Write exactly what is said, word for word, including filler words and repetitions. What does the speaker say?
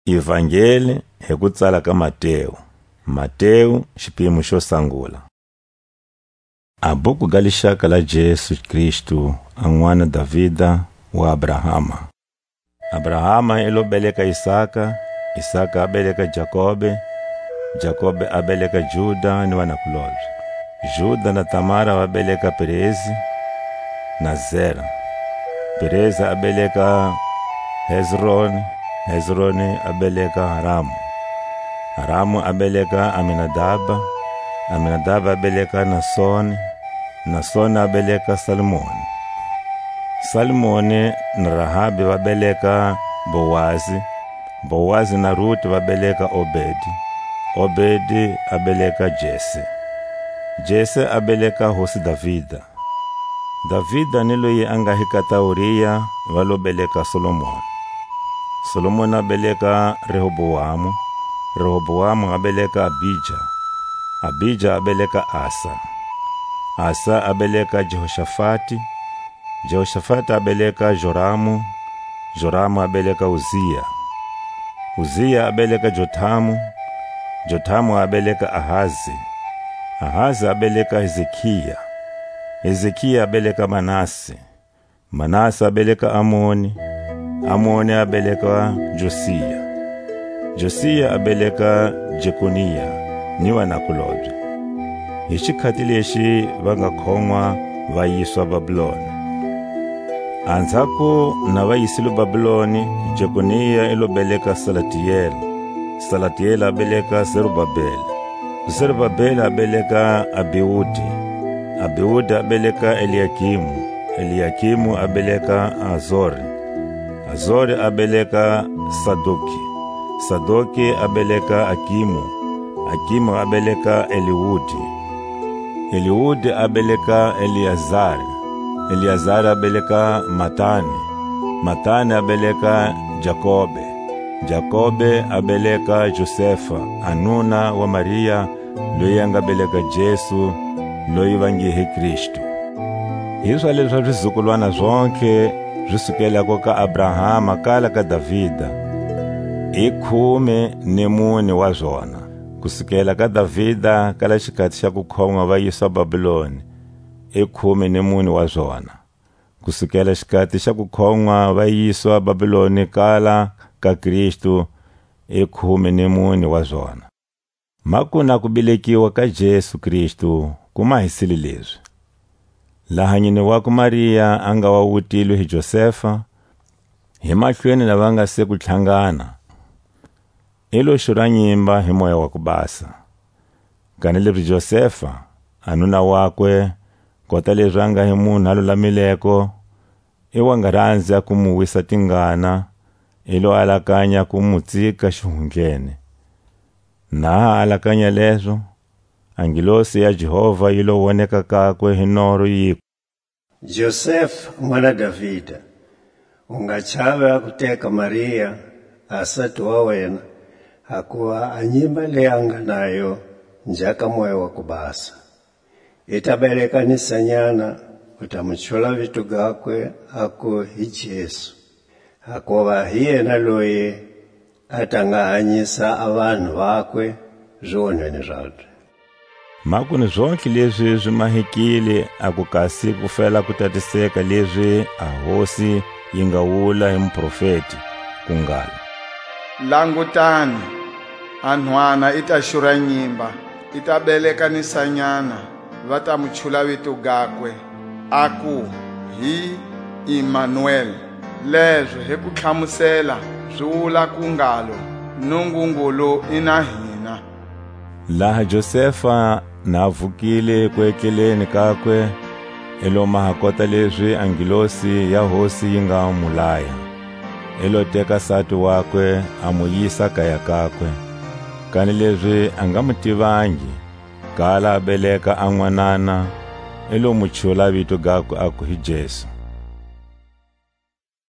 Ivangeli hi ku tsala ka Mateu. Mateu, xipimo xo sangula. A buku ga lixaka la Jesu Kristu, a n'wana Davida wa Abrahama. Abrahama i lo beleka Isaka, Isaka a beleka Jakobe, Jakobe a beleka Juda ni vanakulobye. Juda na Tamara va beleka Perezi na Zera. Perezi a beleka Hezroni, Hezroni a beleka Haramu. Haramu a beleka Aminadaba, Aminadaba a beleka Nasoni, Nasoni a beleka Salmoni. Salmoni na Rahabi va beleka Boazi, Boazi na Ruti va beleka Obedi, Obedi a beleka Jese. Jese a beleka hosi Davida. Davida ni loyi a nga hi kata Uria va lo beleka Solomoni. Solomoni a beleka Rehoboamu, Rehoboamu a beleka Abija, Abija a beleka Asa, Asa a beleka Jehoshafati, Jehoshafati a beleka Joramu, Joramu a beleka Uzia, Uzia a beleka Jotamu, Jotamu a beleka Ahazi, Ahazi a beleka Hezekia, Hezekia a beleka Manase, Manase a beleka Amoni, Amoni a beleka Josia, Josia a beleka Jekonia ni vanakulobye. Hi xikhati lexi va nga khonwa va yiswa Babiloni. Anzhako na va yisile Babiloni, Jekonia i lo beleka Salatiele, Salatiele a beleka Zerubabele, Zerubabele a beleka Abiudi, Abiudi a beleka Eliakimu, Eliakimu a beleka Azori, Azori a beleka Sadoki, Sadoki a beleka Akimu, Akimu a beleka Eliudi, Eliudi a beleka Eliazari, Eliazari a beleka Matani, Matani a beleka Jakobe, Jakobe a beleka Josefa, a nuna wa Maria, loyi a nga beleka Jesu, loyi va nge hi Kristu. Hi zwa leza zizukulwana zontlhe zi sukelako ka Abrahama kala ka Davida, i khume ni mune wa zona. Ku sukela ka Davida kala xikhati xa ku khonwa va yiswa Babiloni, i khume ni mune wa zona. Ku sukela xikhati xa ku khonwa va yiswa Babiloni kala ka Kristu, i khume ni mune wa zona. Makuna ku belekiwa ka Jesu Kristu ku mahisile lezi. Laha nyine wakwe Maria a nga wa wutilwe hi Josefa, hi mahlweni na va nga se ku tlhangana, i lo xura nyimba hi Moya wa ku Basa. Kanilezi Josefa, a nuna wakwe, kota lezi a nga hi munhu a lulamileko, i wa nga ranzi a ku mu wisa tingana, i lo alakanya ku mu tsika xihundleni. Na ha alakanya lezo, a ngilosi ya Jehovha yi lo woneka kakwe hi noro, yiku: Josefa, n'wana Davida, u nga chavi a ku teka Maria, a sati wa wena, hakuva a nyimba leyi a nga nayo nja ka Moya wa ku Basa. I ta beleka ni sanyana, u ta mu chula vito gakwe, a ku hi Jesu, hakuva hi yena loyi a ta nga hanyisa a vanhu vakwe zionhweni zabye. Makunu zontlhe lezi zi mahekile a ku kasi ku fela ku tatiseka lezi a Hosi yi nga wula hi muprofeti, ku ngalo: Langutani, a nhwana i ta xura nyimba, i ta beleka ni sanyana, va ta mu chula vito gakwe, a ku, hi Imanuele. Lezo hi ku tlhamusela zi wula ku ngalo: Nungungulu i na hina. Laha Josefa na a vukile ku etleleni kakwe, i lo maha kota lezi a ngilosi ya Hosi yi nga mu laya. I lo teka sati wakwe, a mu yisa kaya kakwe. Kanilezi a nga mu tivangi, kala a beleka a nwanana, i lo mu chula vito gakwe, aku hi Jesu.